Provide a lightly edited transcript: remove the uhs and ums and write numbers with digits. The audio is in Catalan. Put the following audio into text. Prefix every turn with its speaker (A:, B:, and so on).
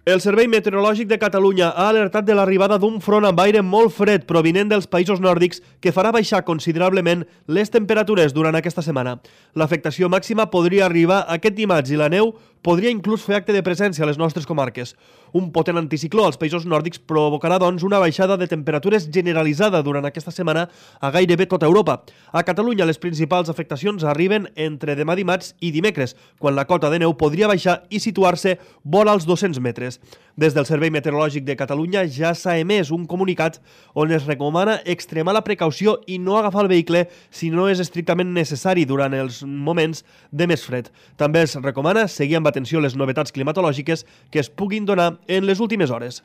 A: El Servei Meteorològic de Catalunya ha alertat de l'arribada d'un front amb aire molt fred provinent dels països nòrdics que farà baixar considerablement les temperatures durant aquesta setmana. L'afectació màxima podria arribar aquest dimarts i la neu podria inclús fer acte de presència a les nostres comarques. Un potent anticicló als països nòrdics provocarà, doncs, una baixada de temperatures generalitzada durant aquesta setmana a gairebé tota Europa. A Catalunya les principals afectacions arriben entre demà dimarts i dimecres, quan la cota de neu podria baixar i situar-se vora als 200 metres. Des del Servei Meteorològic de Catalunya ja s'ha emès un comunicat on es recomana extremar la precaució i no agafar el vehicle si no és estrictament necessari durant els moments de més fred. També es recomana seguir amb atenció les novetats climatològiques que es puguin donar en les últimes hores.